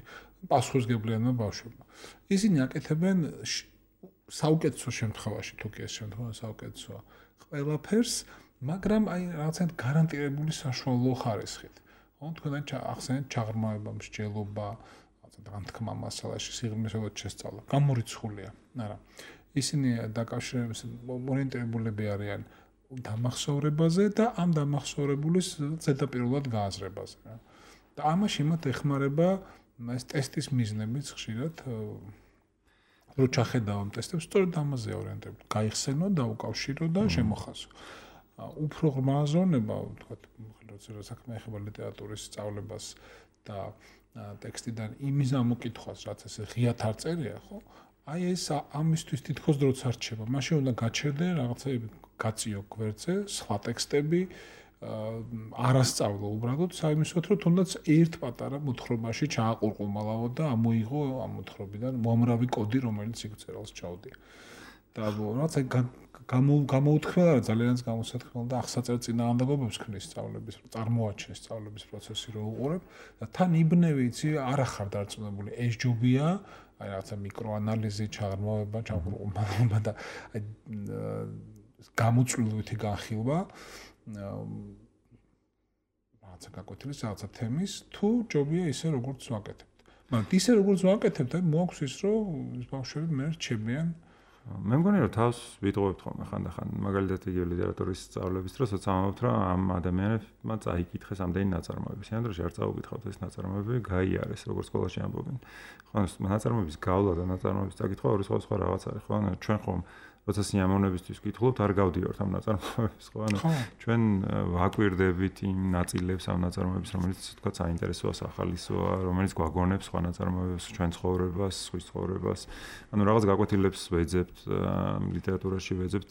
პასუხისგებლიანმა ბავშვებმა. ისინი აკეთებენ საუკეთესო შემთხვევაში თუ კი ეს შემთხვევა საუკეთესოა. ყველაფერს მაგრამ აი რაღაცა გარანტირებული საშუალო ხარისხით. ხო, თქვენ ახსენეთ ჩაღრმავება, მსჯელობა, რაღაცა განთქმა მასალაში, სიღრმისეულად შესწავლა. გამორიცხულია. არა. ისინი დაკავშირების ორიენტირებულები არიან დამახსოვრებაზე და ამ დამახსოვრებულის ზედაპირულად გააზრებაზე. და ამაში მათ ეხმარება ეს ტესტის მიზნებიც ხშირად რო ჩახედავ ამ ტესტებს, სწორედ ამაზე ორიენტირებული. გაიხსენო, დაუკავშირო და შემოხაზო. უფრო ღრმა ზონება, ვთქვათ, როცა საქმე ეხება ლიტერატურის სწავლებას და ტექსტიდან იმის ამოკითხვას, რაც ესე ღიად არ წერია, ხო? აი ეს ამისთვის თითქოს დროც არ რჩება. მაშინ უნდა გაჩერდე რაღაცები გაწიო გვერდზე, სხვა ტექსტები არასწავლო უბრალოდ საიმისოთ, რომ თუნდაც ერთ პატარა მოთხრობაში ჩააყურყუმალავო და ამოიღო ამ მოთხრობიდან უამრავი კოდი, რომელიც იქ წერალს ჩაუდია. და რაღაცა გამოუთქმელა რა ძალიანაც გამოსათქმელა და ახსაწერ წინააღმდეგობებს ქნის სწავლების, რომ წარმოაჩენს სწავლების პროცესი რო უყურებ და თან იბნევი იცი არ ახარ დარწმუნებული ეს ჯობია, აი რაღაცა მიკროანალიზი, ჩაღრმავება, ჩაყურყუმალავება და აი გამოწვლივითი განხილვა რაღაცა გაკვეთილი რაღაცა თემის თუ ჯობია ისე როგორც ვაკეთებთ. მაგრამ ისე როგორც ვაკეთებთ, აი მოაქვს ის რომ ბავშვები მე რჩებიან მე მგონი რომ თავს ვიტყობთ ხოლმე ხანდახან მაგალითად იგივე ლიტერატურის სწავლების დროს ვცამობთ რომ ამ ადამიანებმა წაიკითხეს ამდენი ნაწარმოები. სამ დროში არ წაუკითხავთ ეს ნაწარმოები, გაიარეს როგორც სკოლაში ამბობენ. ხო, ნაწარმოების გავლა და ნაწარმოების წაკითხვა ორი სხვა რაღაც არის. ხო, ჩვენ ხომ როცა სიამოვნებისთვის ვკითხულობთ, არ გავდივართ ამ ნაწარმოებს, ხო? ჩვენ ვაკვირდებით იმ ნაწილებს ამ ნაწარმოების, რომელიც თქვა საინტერესოა, სახალისოა, რომელიც გვაგონებს სხვა ნაწარმოებებს, ჩვენ ცხოვრებას, სხვის ცხოვრებას. ანუ რაღაც გაკვეთილებს ვეძებთ, ლიტერატურაში ვეძებთ,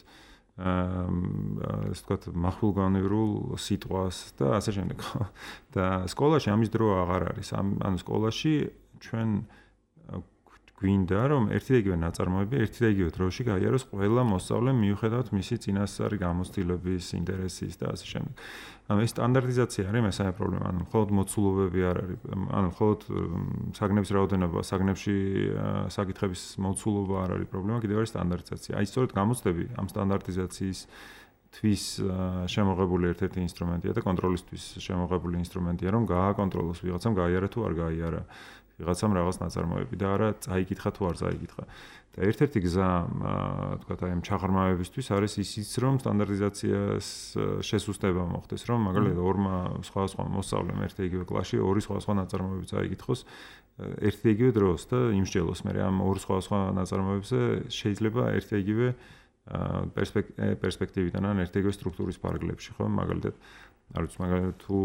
ასე თქვა მახვილგანევრულ სიტყვას და ასე შემდეგ, ხო? და სკოლაში ამის დრო აღარ არის. ანუ სკოლაში ჩვენ გვინდა რომ ერთი და იგივე ნაწარმოები ერთი და იგივე დროში გაიაროს ყველა მოსწავლემ მიუხედავად მისი წინასწარი გამოცდილების, ინტერესის და ასე შემდეგ. ანუ ეს სტანდარტიზაცია არის მესამე პრობლემა. ანუ მხოლოდ მოცულობები არ არის. ანუ მხოლოდ საგნების რაოდენობა, საგნებში საკითხების მოცულობა არ არის პრობლემა, კიდევ არის სტანდარტიზაცია. აი სწორედ გამოცდები ამ სტანდარტიზაციის თვის შემოღებული ერთ-ერთი ინსტრუმენტია და კონტროლისთვის შემოღებული ინსტრუმენტია, რომ გააკონტროლოს ვიღაცამ გაიარა თუ არ გაიარა. ვიღაცამ რაღაც ნაწარმოები და არა წაიკითხა თუ არ წაიკითხა. და ერთ-ერთი გზა, თქვათ, აი ამ ჩაღრმავებისთვის არის ისიც, რომ სტანდარტიზაციას შესუსტება მოხდეს, რომ მაგალითად ორმა სხვა მოსწავლემ ერთ და იგივე კლასში ორი სხვა ნაწარმოები წაიკითხოს ერთ და იგივე დროს და იმსჯელოს. მე ამ ორ სხვა ნაწარმოებზე შეიძლება ერთ და იგივე პერსპექტივიდან ან ერთ და იგივე სტრუქტურის პარაგლებში, ხო, მაგალითად არ ვიცი, მაგალითად თუ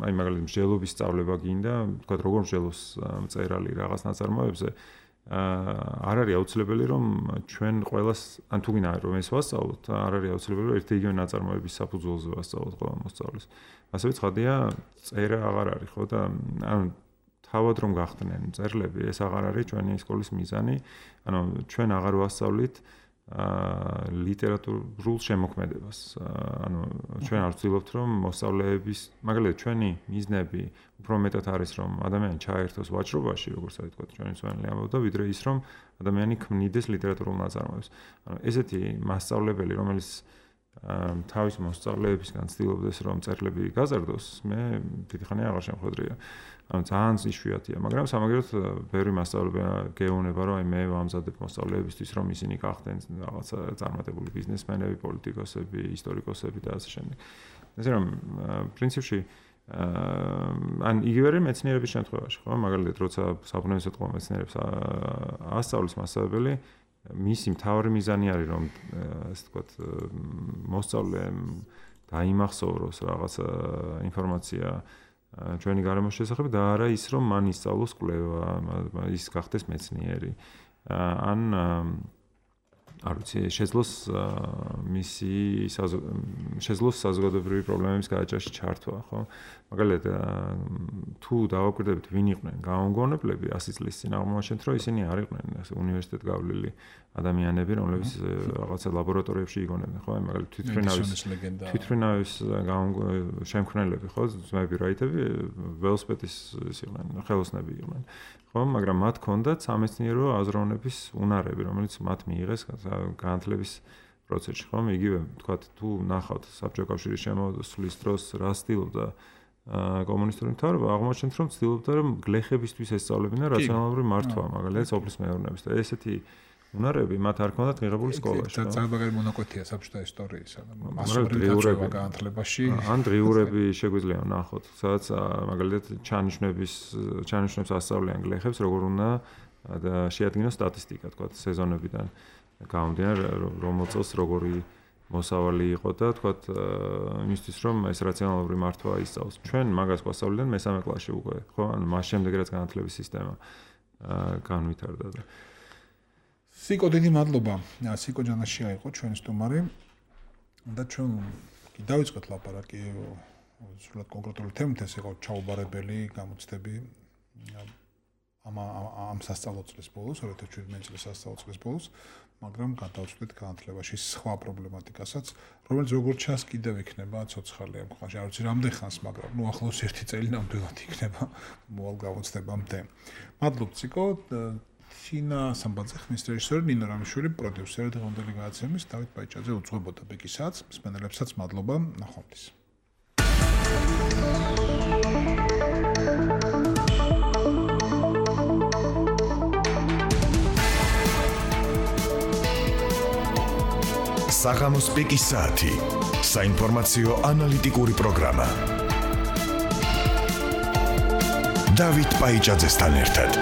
აი მაგალითად მსჯელობის სწავლება გინდა, თქვა როგორ მსჯელოს მწერალი რაღაც ნაწარმოებზე, არ არის აუცილებელი რომ ჩვენ ყველას ან თუ გინდა რომ ეს ვასწავლოთ, არ არის აუცილებელი რომ ერთი იგივე ნაწარმოების საფუძველზე ვასწავლოთ ყველა მოსწავლეს. ასევე ცხადია, წერა აღარ არის, ხო და ანუ თავად რომ გახდნენ წერლები, ეს აღარ არის ჩვენი სკოლის მიზანი. ანუ ჩვენ აღარ ვასწავლით ლიტერატურულ შემოქმედებას. ანუ ჩვენ არ ვცდილობთ რომ მოსწავლეების, მაგალითად ჩვენი მიზნები უფრო მეტად არის რომ ადამიანი ჩაერთოს ვაჭრობაში, როგორც აი თქვა ჩვენი სვენელი ამბობდა, ვიდრე ის რომ ადამიანი ქმნიდეს ლიტერატურულ ნაწარმოებს. ანუ ესეთი მასწავლებელი, რომელიც თავის მოსწავლეებისგან ცდილობდეს რომ წერლები გაზარდოს, მე დიდი ხანია აღარ შემხვედრია. ანუ ძალიან იშვიათია, მაგრამ სამაგერად ბევრი მასწავლებელი გეუბნება, რომ აი მე ვამზადებ მოსწავლეებისთვის, რომ ისინი გახდნენ რაღაცა წარმატებული ბიზნესმენები, პოლიტიკოსები, ისტორიკოსები და ასე შემდეგ. ესე რომ პრინციპში ან იგივე მეცნიერების შემთხვევაში, ხო, მაგალითად, როცა საბუნებისმეტყველო მეცნიერებს ასწავლის მასწავლებელი, მისი მთავარი მიზანი არის, რომ ასე ვთქვათ, მოსწავლემ დაიმახსოვროს რაღაცა ინფორმაცია ჩვენი გარემოს შესახებ და არა ის რომ მან ისწავლოს კვლევა, ის გახდეს მეცნიერი. ან არ ვიცი, შეძლოს საზოგადოებრივი პრობლემების გადაჭრაში ჩართვა, ხო? მაგალითად, თუ დავაკვირდებით ვინ იყვნენ გაუმგონებლები 100 წლის წინ აღმოაჩენთ, რომ ისინი არ იყვნენ უნივერსიტეტ გავლილი ადამიანები, რომლებიც რაღაცა ლაბორატორიებში იგონებდნენ, ხო? მაგალითად, თვითმფრინავის შემქმნელები, ხო? ძმები რაიტები, ველოსიპედის იყვნენ, ხელოსნები იყვნენ. ხო, მაგრამ მათ ჰქონდათ სამეცნიერო აზროვნების უნარები, რომელიც მათ მიიღეს განათლების პროცესში, ხომ? იგივე, თქვათ, თუ ნახავთ საბჭოთა კავშირის შემოსვლის დროს რა ცდილობდა კომუნისტური მთავრობა, აღმოჩნდით, რომ ცდილობდა, რომ გლეხებისთვის ესწავლებინა რაციონალური მართვა, მაგალითად, სოფლის მეურნეობის და ესეთი უნარები მათ არ ქონდათ მიღებული სკოლაში. და ძალიან მონაკვეთია საბჭოთა ისტორიისა და მასობრივი განათლებაში. ან დღიურები შეგვიძლია ნახოთ, სადაც მაგალითად ჩანიშნებს ასწავლიან გლეხებს, როგორ უნდა შეადგინოს სტატისტიკა, თქვათ, სეზონებიდან გამომდინარე, რომელ წელს როგორი მოსავალი იყო და თქვათ, იმისთვის რომ ეს რაციონალური მართვა ისწავლოს. ჩვენ მაგას გვასწავლიდან მესამე კლასში უკვე, ხო? ანუ მას შემდეგ რაც განათლების სისტემა განვითარდა და სიკო დიდი მადლობა. სიკო ჯანაშია იყო ჩვენი სტუმარი. და ჩვენ დავიწყოთ ლაპარაკი სულად კონკრეტული თემით, ეს იყო ჩაუბარებელი გამოცდები ამ სასწავლო წლის ბოლოს, 2017 წლის სასწავლო წლის ბოლოს, მაგრამ გადავწყვეტ განათლებაში სხვა პრობლემატიკასაც, რომელიც როგორც ჩანს კიდევ იქნება ცოცხალი ამ ქვეყანაში. არ ვიცი რამდენ ხანს, მაგრამ ახლოს 1 წელი ნამდვილად იქნება მოვალ გამოცდებამდე. მადლობ ციკო. თინა სამბაძე ხმის რეჟისორი, ნინო რამიშვილი პროდიუსერი დღევანდელი გადაცემის, დავით ბაიჭაძე უძღვებოდა ბეკისაც, მსმენელებსაც მადლობა, ნახვამდის. საღამოს პიკის საათი. საინფორმაციო ანალიტიკური პროგრამა. დავით ბაიჭაძესთან ერთად.